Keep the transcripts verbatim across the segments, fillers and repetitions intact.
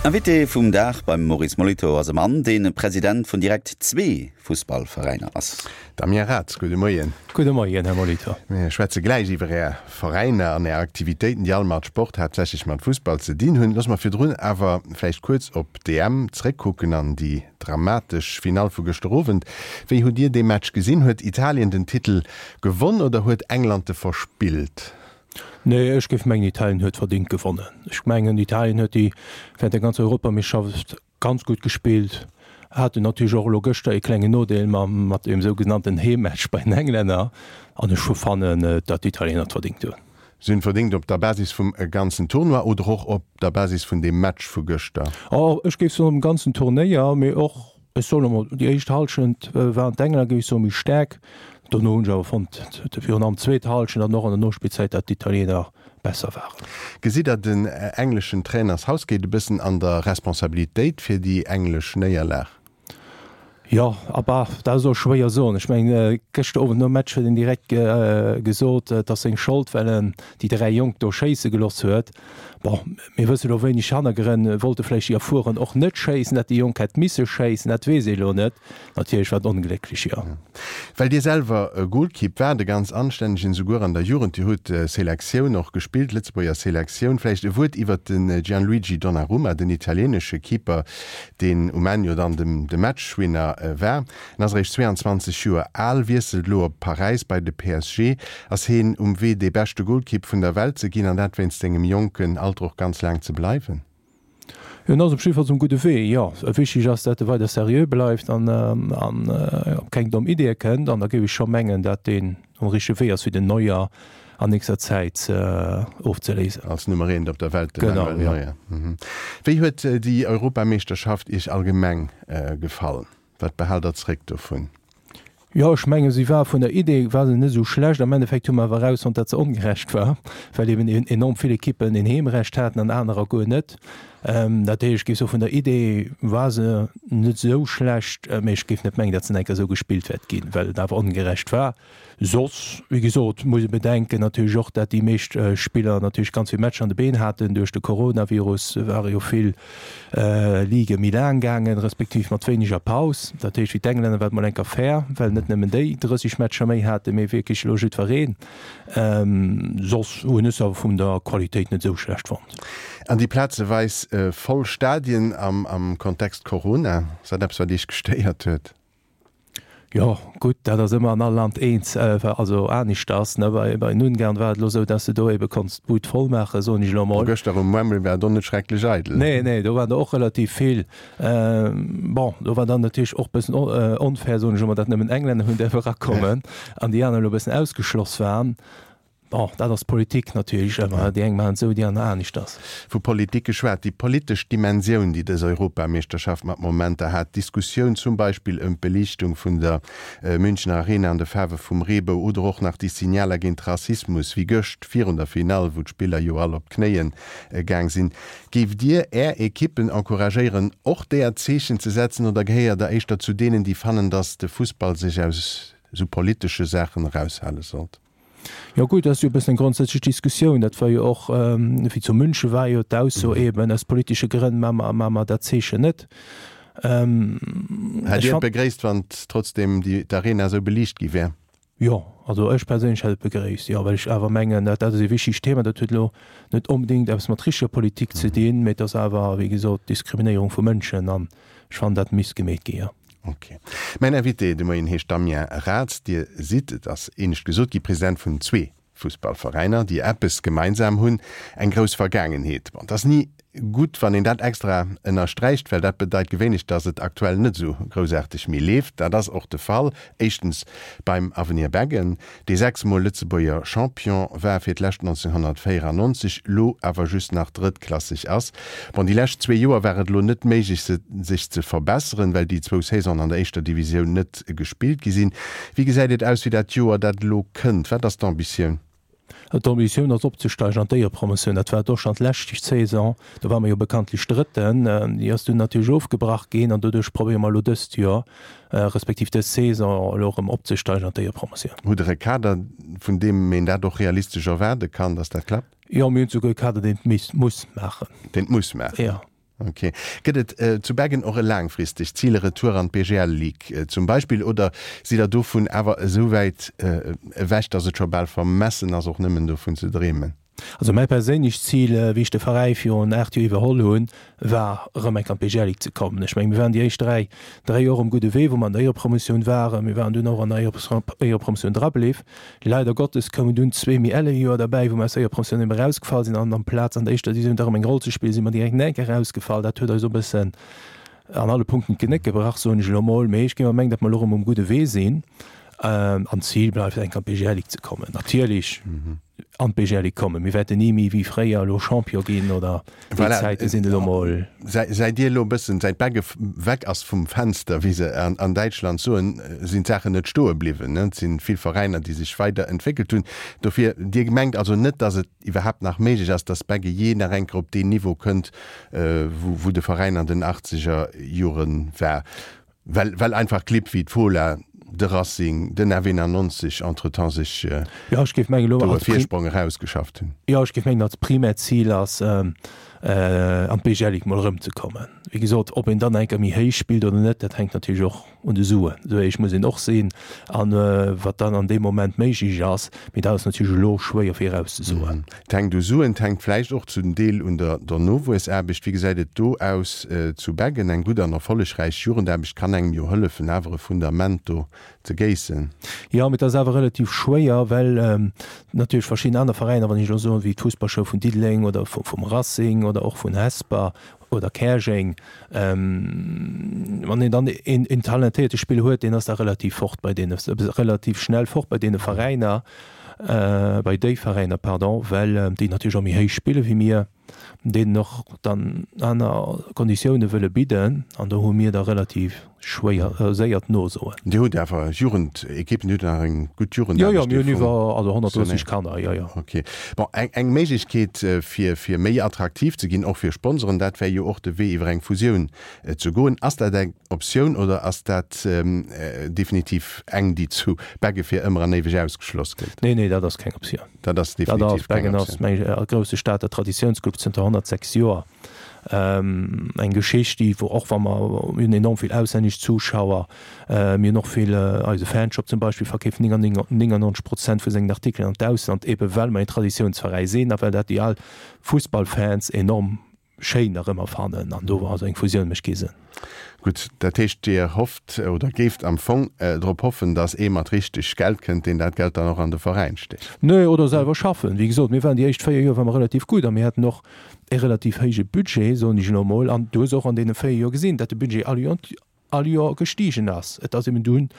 Invité vum Dag beim Maurice Molitor ass e Mann, dee President vun direkt zwee Fussballveräiner ass. Damien Raths, gudde Moien. Gudde Moien, Här Molitor. Mir schwätze gläich iwwer Är Veräiner an Är Aktivitéiten, déi all mat Sport, haaptsächlech mat Fussball ze dinn hunn. Loosse mer virdrun awer vläicht kuerz op d'EM zréckkucken an déi dramatesch Finall vu gëschter Owend. Wéi hutt Dir dee Match gesinn? Huet Italien den Titel gewonn oder huet England e verspillt? Nee, ech géif mengen Italien huet verdingt gewonnen. Ech mengen Italien huet déi während der ganzer Europameeschterschaft ganz gutt gespillt, haten natierlech och elo gëschter ee klengen Nodeel mam mat deem sougenannten Heemmatch bei den Englänner an ech hu fannen, datt d'Italiener et verdingt hunn. Si hunn et verdingt op der Basis vum ganzen Tournoi oder och op der Basis vun deem Match vu gëschter? Oh, ech géif soen um ganzen Turnéier, mee och, ech soen emol, déi éischt Hallschent waren d'Englänner, géif ech soen, méi staark. Dono hunn ech awer fonnt, virun allem d'zweet Hallschent an och an der Nospillzäit, datt d'Italiener besser waren. Gesitt Der den engleschen Trainer Southgate e bëssen an der Responsabilitéit fir déi englesch Néierlag? Jo, a bah, dat ass och schwéier soen. Ech mengen, gëschter Owend nom Match huet en direkt gesot, et ass seng Schold, well en déi dräi Jonk do schéisse gelooss huet. Bon, mir wësse lo wéineg Hannergrënn. Wollte vläicht déi Erfueren och net schéissen, dat déi Jonk hätt misse schéissen, dat weess ee lo net. Natierlech war et onglécklech, jo. Well Dir selwer Golkipp waart, e ganz anstännegen, souguer an der Jugend, Dir hutt Selektioun och gespillt, Lëtzebuerger Selektioun. Vläicht e Wuert iwwert de Gianluigi Donnarumma, den italieenesche Keeper, deen um Enn jo dann de Matchwinner war. En ass eréischt zweeanzwanzeg Joer al, wiesselt elo op Paräis bei de P S G. Ass heen um Wee dee beschte Golkipp vun der Welt ze ginn, an dat wéinst sengem jonken Alter och ganz laang ze bleiwen? Hien ass op jiddefalls um gudde Wee, jo. Wichtig ass, dat e weider seriö bleift an op keng domm Ideeë kënnt. An da géif ech scho mengen, dat deen um richtege Wee ass, fir den Neuer an nächster Zäit ofzeléisen. Als Nummer eent op der Welt, de Manuel Neuer. Wéi huet déi Europameeschterschaft Iech allgemeng gefall? Wat behaalt Der zréck dovun? Jo, ech mengen, si war vun der Idee war se net esou schlecht. Am Endeffekt hu mer awer erausfonnt, datt se ongerecht war, well eben enorm vill Ekippen een Heemrecht haten an anerer guer net. Dat heescht, ech géif soen, vun der Idee war se net esou schlecht, mee ech géif net mengen, datt se nach eng Kéier esou gespillt wäert ginn, well et awer ongerecht war. Soss, wéi gesot, muss ee bedenken natierlech och, dat déi meescht Spiller natierlech ganz vill Matcher an de Been haten. Duerch de Coronavirus ware jo vill Ligë méi laang gaangen, respektiv mat wéineger Paus. Dat heescht, fir d'Englänner war et mol eng Kéier fair, well net nëmmen déi drësseg Matcher méi haten, mee wierklech elo jiddwereen. Soss hunn ech se awer vun der Qualitéit net esou schlecht fonnt. An déi plazeweis voll Stadien am Kontext Corona, ass dat eppes, wat Iech gestéiert huet? Jo, gutt, dat ass ëmmer an all Land eens, also aneschters, ne. Bei bei den Ungarn war et elo esou, dass de do ebe konns d'Bud voll maachen, soen ech elo emol. Gëschter um Wembley war et och net schrecklech eidel. Nee, nee, do waren der och relativ vill. Bon, do war dann natierlech och bëssen onfair, soen ech emol, datt nëmmen Englänner hunn däerfe erakommen an déi aner elo e bëssen ausgeschloss waren. Bon, dat ass Politik natierlech ëmmer, déi eng maachen et esou, déi aner aneschters. Vu Politik geschwat, déi politesch Dimensioun, déi dës Europameeschterschaft mat Momenter hat, d'Diskussioun zum Beispill ëm d'Beliichtung vun der Münchener Arena an de Faarwe vum Reebou oder och nach déi Signaler géint Rassismus, wéi gëscht virun der Finall, wou d'Spiller jo all op d'Knéie gaang sinn. Géift Dir Är Ekippen encouragéieren, och deeër Zeechen ze setzen oder gehéiert Der éischter zu deenen, déi fannen, datt de Fussball sech aus esou politesche Saachen eraushale sollt? Jo gutt, dat ass jo e bëssen eng grondsätzlech Diskussioun. Dat war jo och, wéi zu München war jo d'Ausso eben, aus politesche Grënn maache mer, maache mer dat Zeechen net. Hätt Dir et begréisst, wann trotzdem d'Arena esou beliicht gi wär? Jo, also ech perséinlech hätt et begréisst, jo, well ech awer mengen, dat ass e wichtegt Thema. Dat huet elo net onbedéngt eppes mat richteger Politik ze dinn, mä et ass awer, wéi gesot, Diskriminéierung vu Mënschen an ech fannen, dat misst gemeet gi, jo. Ok. Mäin Invité de Moien heescht Damien Raths. Dir sidd, et ass éinescht gesot gi, President vun zwee Fussballveräiner, déi eppes gemeinsam hunn, eng grouss Vergaangenheet. Bon, et ass ni gutt, wann een dat extra ënnersträicht, well dat bedeit gewéinlech, datt et aktuell net esou groussaarteg méi leeft. Dat ass och de Fall, éischtens beim Avenir Beggen, dee sechs Mol Lëtzebuerger Champion war, fir d'lescht nonzénghonnertvéierannonzeg, lo awer just nach drëttklasseg ass. Bon, déi lescht zwee Joer war et elo net méiglech, se sech ze verbesseren, well déi zwou Saisonen an der éischter Divisioun net gespillt gi sinn. Wéi gesäit et aus fir dat Joer, dat elo kënnt? Wat ass d'Ambitioun? D'Ambitioun ass opzesteigen an d'Éierepromotioun. Dat war et och schonn d'lescht Saison. Do ware mer jo bekanntlech Drëtten. Déi ass dunn natierlech ofgebrach ginn an doduerch probéiere mer elo dëst Joer, respektiv dës Saison elo erëm opzesteigen an d'Éierepromotioun. Hutt Der e Kader, vun deem een dat och realistesch erwaarde kann, datt dat klappt? Jo, mir hunn souguer e Kader, deen et muss maachen. Deen et muss maachen? Jo. Okay. Gëtt et äh, zu Beggen och e laangfristegt Zil, e Retour an d'BGL Ligue äh, zum Beispill, oder sidd der dovun awer esou wäit äh, ewech, datt et scho bal vermessen ass och nëmmen dovun ze dreemen? Also mäi perséinlecht Zil, wéi ech de Veräi virun aacht Joer iwwerholl hunn, war erëm eng Kéier an d'BGL Ligue ze kommen. Ech mengen, mir waren déi éischt dräi, dräi Joer um gudde Wee, wou mer an der Éierepromotioun waren. Mir waren dunn och an der Éierepromotioun drabliww. Leider Gottes koumen dunn zwee méi elle Joer derbäi, wou mer aus der Éierepromotioun erëm erausgefall sinn an amplaz an der éischter Divisioun da erëm eng Roll ze spillen, si mer direkt nach eng Kéier erausgefall. Dat huet eis e bëssen an alle Punkten d'Genéck gebrach, soen ech elo mol. Mee ech géif awer mengen, datt mer elo erëm um gudde Wee sinn. An d'Zil bleift eng Kéier an d'BGL Ligue ze kommen. Natierlech an d'BGL Ligue kommen. Mir wäerten ni méi wéi fréier elo Champion ginn oder déi Voilà. Zäite sinn elo mol. Säit Dir elo e bëssen, säit Begge weg ass vum Fenster, wéi se an, an Däitschland soen, sinn d'Saachen net stoe bliwwen. Et sinn vill Veräiner, déi sech weider entwéckelt hunn. Dofir, Dir mengt also net, datt et iwwerhaapt nach méiglech ass, datt Begge jee nach eng Kéier op deen Niveau kënnt, wou, wou de Veräin an den achtzeger Jore war? Well, well einfach Clibb wéi d'Fola, de Racing, den F eenannonzeg entretemps sech Jo, ech géif mengen elo do e als Pri Virsprong erausgeschafft hunn. Jo, ech géif mengen als primäert Zil ass, an d'BGL Ligue mol erëmzekommen. Wéi gesot, ob een dann eng Kéier méi héich spillt oder net, dat hänkt natierlech och un de Suen. Esou éierlech muss een och sinn. An wat dann an deem Moment méiglech ass, mee dat ass natierlech elo schwéier virauszesoen. Et hänkt u Suen, et hänkt vläicht och zum Deel un der der Nowuessaarbecht. Wéi gesäit et do aus zu Beggen? Eng gutt an erfollegräich Jugendaarbecht kann engem jo hëllefen, awer e Fundament do ze géissen. Jo, mee et ass awer relativ schwéier, well natierlech verschidden aner Veräiner, wann ech elo soen, wéi d'Fussballschoul vun Diddeleng oder vum Racing oder och vun Hesper oder Käerjeng, wann een dann een een talentéierte Spiller huet, deen ass da relativ fort bei deene, relativ schnell fort bei deene Veräiner, bei déi Veräiner, pardon, well déi natierlech och méi héich spille wéi mir. deenen och dann aner Konditioune wëlle bidden, an do hu mir da relativ schwéier, séier d'No-Soen. Dir hutt awer Jugendekippen, Dir hutt nach eng gutt Jo, jo, Jugendaarbecht, mir déi hunn iwwer, also honnertdrësseg funktionéiert. Kanner, jo, jo. Ok. Bon, eng, eng Méiglechkeet, fir, fir méi attraktiv ze ginn, och fir Sponsoren, dat wär jo och de Wee iwwer eng Fusioun ze goen. Ass dat eng Optioun oder ass dat definitiv eng, déi zu Begge fir ëmmer an éiweg ausgeschloss gëtt? Nee, nee, dat ass keng Optioun. Dat ass Dat ass, definitiv keng Beggen ass, Optioun. meng ech, e grousse Stater Traditiounsclub zënter honnertsechs Joer. Eng Geschicht, déi, wou och wa mer, mir hunn enorm vill auslännesch Zuschauer, mir hunn och vill, eise Fanshop zum Beispill verkeeft néngennonzeg Prozent vu sengen Artikelen an d'Ausland, ebe well mer een Traditiounsveräi sinn a well dat déi al Fussballfans enorm schéin nach ëmmer fannen. An do, also eng Fusioun mécht kee Sënn. Gutt, dat heescht, Dir hofft oder géift am Fong drop hoffen, datt ee mat richteg Geld kënnt, deen dat Geld dann och an de Veräin stécht? Nee, oder selwer schaffen. Wéi gesot, mir waren déi éischt véier Joer ware mer relativ gutt a mir haten och e relativ héije Budget, soen ech elo emol. An du hues och an deene véier Joer gesinn, datt de Budget all Joer all Joer gestigen ass. Et ass eben dunn,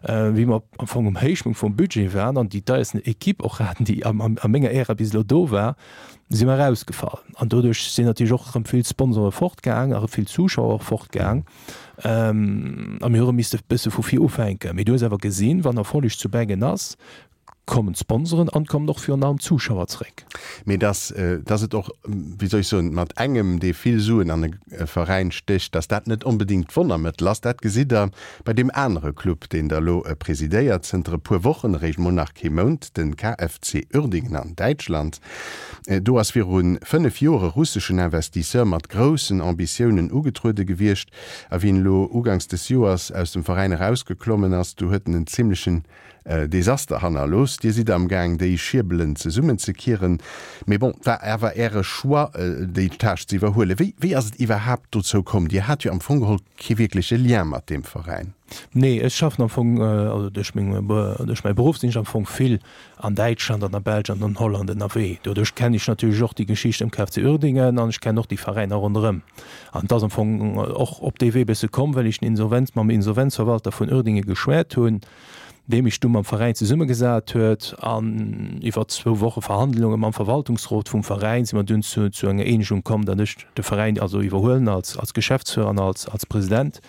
wéi mer am Fong um Héichpunkt vum Budget waren an déi deiersten Equipe och haten, déi a menger Ära bis elo do war, si mer erausgefall. An doduerch sinn natierlech och erëm vill Sponsore fortgaang a vill Zuschauer och fortgaang. A mir hu erëm misste e bësse vu vir ufänken. Mee du hues awer gesinn, wann Erfolleg zu Beggen ass, kommen d'Sponsoren an kommen och virun allem d'Zuschauer zréck. Mee dass, dass et och, wéi soll ech soen, mat engem, dee vill Suen an e Veräin stécht, dass dat net onbedéngt d'Wonnermëttel ass, dat gesitt Der bei deem anere Club, deen Der elo presidéiert, zënter e puer Wochen, eréischt mol nach kee Mount, de K F C Uerdingen an Däitschland. Do ass viru fënnef Joer e russeschen Investisseur mat groussen Ambitiounen ugetruede gewiescht, a wéi en elo uganks des Joers aus dem Veräin erausgeklommen ass, du huet en en zimlechen Desaster hannerlooss. Dir sidd am Gaang déi Schierbelen zesummen ze kieren. Mee bon, et war awer Äre Choix déi Tâche ze iwwerhuelen. Wéi wéi ass et iwwerhaapt dozou komm? Dir hat jo am Fong geholl kee wierkleche Lien mat deem Veräin. Nee, ech schaffen am Fong, also duerch meng duerch mäi Beruff sinn ech am Fong vill an Däitschland an der Belsch an an Holland ënnerwee. Doduerch kennen ech natierlech och déi Geschicht ëm K F C Uerdingen an ech kennen och déi Veräiner ronderëm. An et ass am Fong och op dee Wee bësse komm, well ech den Insolvenz mam Insolvenzverwalter vun Uerdingen geschwäert hunn, dee mech du mam Veräin zesummegesat huet an iwwer zwou Woche Verhandlunge mam Verwaltungsrot vum Veräin si mer dunn zu zu enger Eenegung komm, datt ech de Veräin also iwwerhuelen als als Geschäftsführer an als als President.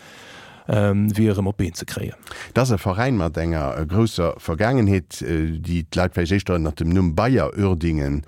wéi erëm op d'Been ze kréien. Et ass e Veräin mat enger grousser Vergaangenheet, déi d'Leit vläicht éischter ënnert dem Numm Bayer Uerdingen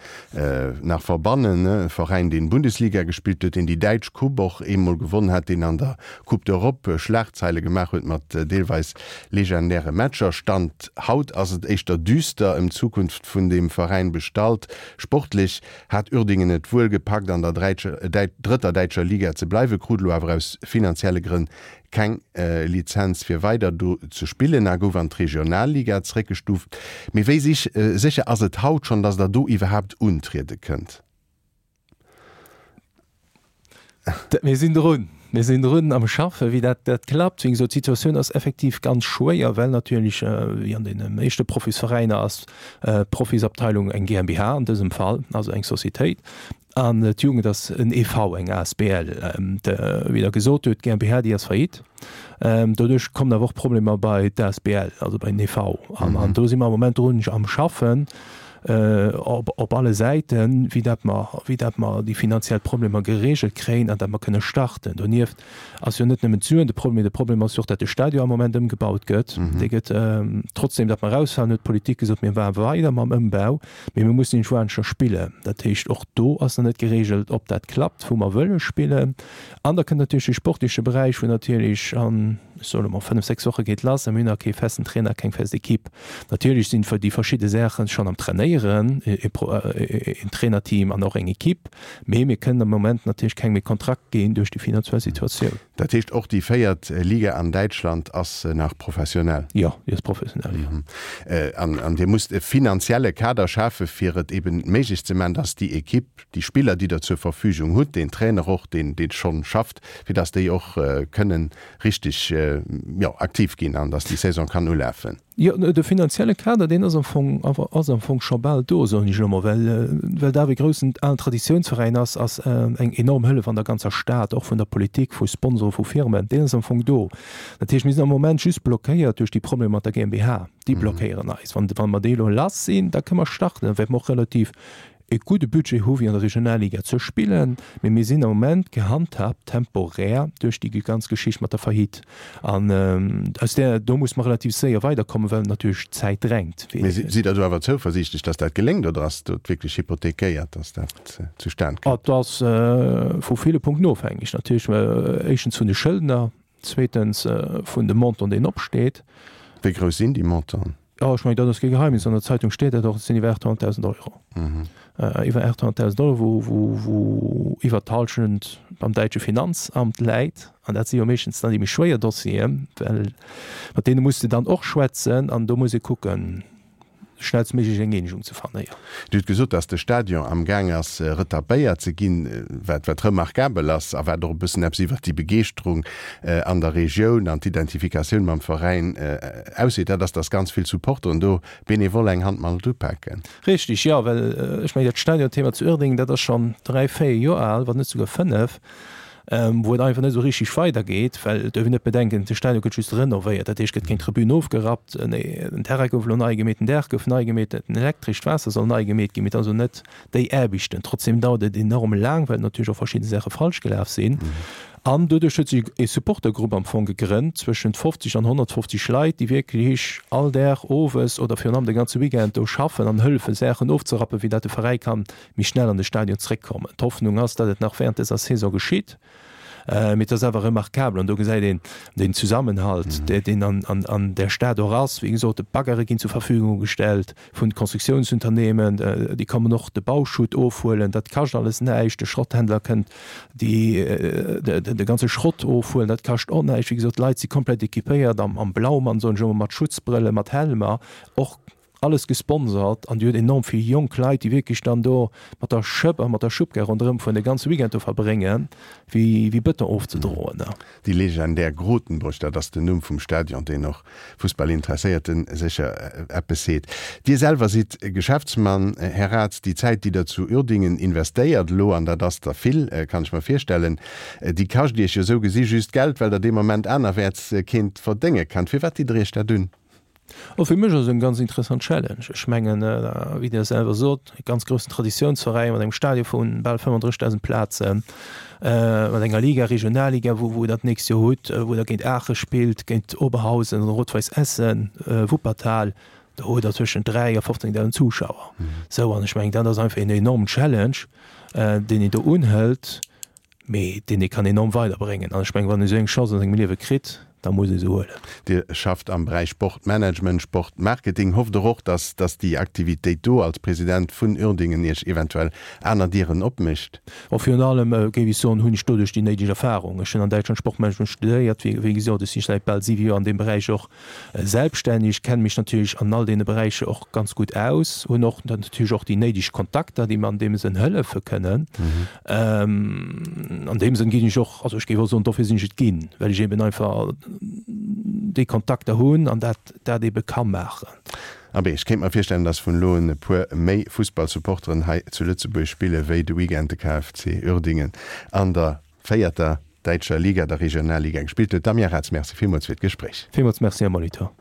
nach verbannen. E Veräin, deen Bundesliga gespillt huet, deen déi däitsch Coupe och eemol gewonn hat, deen an der Coupe d'Europe Schlagzeile gemaach huet mat deelweis legendäre Matcher. Stand haut ass et éischter düster ëm d'Zukunft vun deem Veräin bestallt. Sportlech hat Uerdingen et wuel gepackt, an der drëtter däitscher Liga ze bleiwen, krut elo awer aus finanzielle Grënn keng Lizenz fir weider do ze spillen a gouf an d'Regionalliga zeréckgestuuft. Mee wéi sécher ass et haut schonn, datt der do iwwerhaapt untriede kënnt? Mir sinn drun. Mir sinn drun am Schaffen, wéi dat dat klappt. Wéi gesot, d'Situatioun ass effektiv ganz schwéier, well natierlech, wéi an deene meeschte Profisveräiner ass d'Profisabteilung eng GmbH an dësem Fall, also eng Societéit. An d'Jugend ass en E V, eng A S B L. Wéi Der gesot hutt, d'GmbH, déi ass faillite. Doduerch kommen awer och Problemer bei d'A S B L, also bei den E V. An do si mer am Moment drun am Schaffen op, op alle Säiten, wéi dat mer, wéi dat mer déi finanziell Problemer geregelt kréien an dat mer kënne starten. Donieft ass jo net nëmmen d'Suen de Problem, mee de Problem ass jo och, dat de Stadion am Moment ëmgebaut gëtt. Dee gëtt, trotzdem dat mer erausfalen, huet d'Politik gesot, mir maache weider mam Ëmbau, mee mir mussen iergendwou aneschter spillen. Dat heescht, och do ass nach net geregelt, ob dat klappt, wou mer wëlle spillen. An da kënnt natierlech de sportleche Beräich, wou natierlech an, ech soe lo mol, fënnef, sechs Woche geet lass a mir hunn nach kee festen Trainer, keng fest Equipe. Natierlech sinn déi verschidde Saache schonn am Trainéieren, een Trainerteam an och eng Equipe, mee mir kënnen am Moment natierlech kengem e Kontrakt ginn duerch déi finanziell Situatioun. Dat heescht, och déi véiert Liga an Däitschland ass nach professionell? Jo, déi ass professionell, jo. An, an Dir musst e finanzielle Kader schafe fir et eben méiglech ze maachen, dass déi Equipe, déi Spiller, déi Der zur Verfügung hutt, deen Trainer och, deen, deen schonn schafft, fir dass déi och kënnen richtig, jo, aktiv ginn an dass déi Saison kann ulafen. Jo, de finanzielle Kader, deen ass am Fong, ass am Fong scho bal do, soen ech elo mol, well, well dat awer e groussen alen Traditionsveräin ass, ass eng enorm Hëllef an der ganzer Stad, och vun der Politik, vu Sponsoren, vu Firmen, deen ass am Fong do. Dat heescht, mir sinn am Moment just blockéiert duerch déi Problemer mat der GmbH. Déi blockéieren eis. Wann, wa mer déi elo lass sinn, da kënne mer starten, da wäerte mer och relativ e gudde Budget hu fir an der Regionalliga ze spillen, mee mir sinn am Moment gehandhabt temporär duerch déi ganz Geschicht mat der Faillite. An aus där, do muss mer relativ séier weiderkommen, well natierlech d'Zäit drängt. Mee sidd Der do awer zouversiichtlech, dass dat geléngt, oder ass dat wierklech hypothekéiert, dass dat zustan kënnt? Et ass vu ville Punkten ofhängeg. Natierlech éischtens vun de Schëldner, zweetens vun dem Montant, deen opsteet. Wéi grouss sinn déi Montanten? Jo, ech mengen, dat ass kee Geheimnis, an der Zeitung steet dat och, et sinn iwwer aathonnertdausend Euro. Iwwer aathonnertdausend Euro, wou, wou, wou iwwer d'Hallschent beim däitsche Finanzamt läit. An dat si jo meeschtens dann déi méi schwéier Dossieren, well mat deene muss de dann och schwätzen an do muss ee kucken, schnellstméiglech eng Eenegung ze fannen, jo. Dir hutt gesot, datt de Stadion am Gaang ass retapéiert ze ginn, wat wat remarkabel ass a wat och e bëssen eppes iwwert déi Begeeschterung an der Regioun an d'Identifikatioun mam Veräin ausseet, dat ass, datt ganz vill Supporteren do benevol eng Hand mat upaken. Richtig, jo, well ech mengen dat Stadionthema zu Uerdingen, dat ass schonn dräi, véier Joer al, wann net souguer fënnef. wou et einfach net esou richteg weidergeet, well et duerf een net bedenken, de Stadion gëtt just renovéiert, dat heescht, gëtt keng Tribün ofgerappt, nee, den Terrain gouf elo nei gemeet, den Daach gouf nei gemeet, den Elektresch, d'Waasser soll nei gemeet ginn, mee et ass elo net déi Aarbechten. Trotzdem dauert et enorm laang, well natierlech och verschidde Saache falsch gelaf sinn. An doduerch huet sech e Supportergrupp am Fong gegrënnt, zwëschent fofzeg an honnertfofzeg Leit, déi wierklech all Dag owes oder virun allem de ganze Weekend do schaffen an hëllefen, Saachen ofzerappen, fir dat de Veräi kann méi schnell an de Stadion zréckkommen. D'Hoffnung ass, datt et nach während dëser Saison geschitt, mee et ass awer remarkabel an do gesäit een den Zusammenhalt, deen an där Stad och ass. Wéi gesot, d'Baggere ginn zur Verfügung gestellt vun de Constructiounsunternehmen, déi kommen och de Bauschutt ofhuelen, dat kascht alles näischt. De Schrotthändler kënnt de ganze Schrott ofhuelen, dat kascht och näischt. Wéi gesot, d'Leit si komplett équipéiert am Blaumann, soen ech ëmmer, mat Schutzbrëllen, mat Helmer och. Alles gesponsert an Dir hutt enorm vill jonk Leit, déi wierklech dann do mat der Schëpp a mat der Schubkar ronderëm fueren, de ganze Weekend do verbréngen, wéi wéi Bëton ofzedroen. Déi legendär Grotenburg, dat ass den Numm vum Stadion, deen och Fussballinteresséierten sécher eppes seet. Dir selwer sidd Geschäftsmann, Här Raths. Déi Zäit, déi Der zu Uerdingen investéiert elo, an dat ass der vill, kann ech mer virstellen, déi kascht Iech jo esou gesi just Geld, well Der dee Moment anerwäerts keent verdénge kennt. Firwat ditt Der Iech dat un? Oh, fir mech ass et eng ganz interessant Challenge. Ech mengen, wéi Dir selwer sot, e ganz groussen Traditiounsveräin mat engem Stadion vu bal fënnfandrëssigdausend Plazen, mat enger Liga, Regionalliga, wou wou Der d'nächst Joer hutt, wou Der géint Aache spillt, géint Oberhausen oder Rot-Weiss Essen, Wuppertal, do hutt Der tëschent dräi a fofzéngdausend Zuschauer. Sou, an ech mengen, dat ass einfach en enormen Challenge, deen een do unhëlt. Mee deen ee kann enorm weiderbréngen. An ech mengen, wann ee sou eng Chance an sengem Liewe kritt, da muss ee se huelen. Dir schafft am Beräich Sportmanagement, Sportmarketing. Hofft Der och, dass dass déi Aktivitéit do als President vun Uerdingen Iech eventuell aner Dieren opmécht? Bon, virun allem, géif ech soen, hunn ech doduerch déi néideg Erfahrung. Ech hunn an Däitschland Sportmanagement studéiert, wéi wéi gesot. Ech si säit bal siwe Joer an deem Beräich och selbststänneg, kenne mech natierlech an all deene Beräicher och ganz gutt aus, hunn och natierlech och déi néideg Kontakter, déi mer an deem Sënn hëllefe kënnen. An deem Sënn ginn ech och, also ech géif och soen, dofir sinn ech et ginn, well ech eben einfach déi Kontakter hunn an dat dat ebe ka maachen. Abee, ech kéint mer virstellen, dass vun elo un e puer méi Fussballsupporteren hei zu Lëtzebuerg spille wéi de Weekend de K F C Uerdingen an der véierter däitscher Liga, der Regionalliga, gespillt huet. Damien Raths, Merci villmools fir d'Gespréich. Villmools Merci, Här Molitor.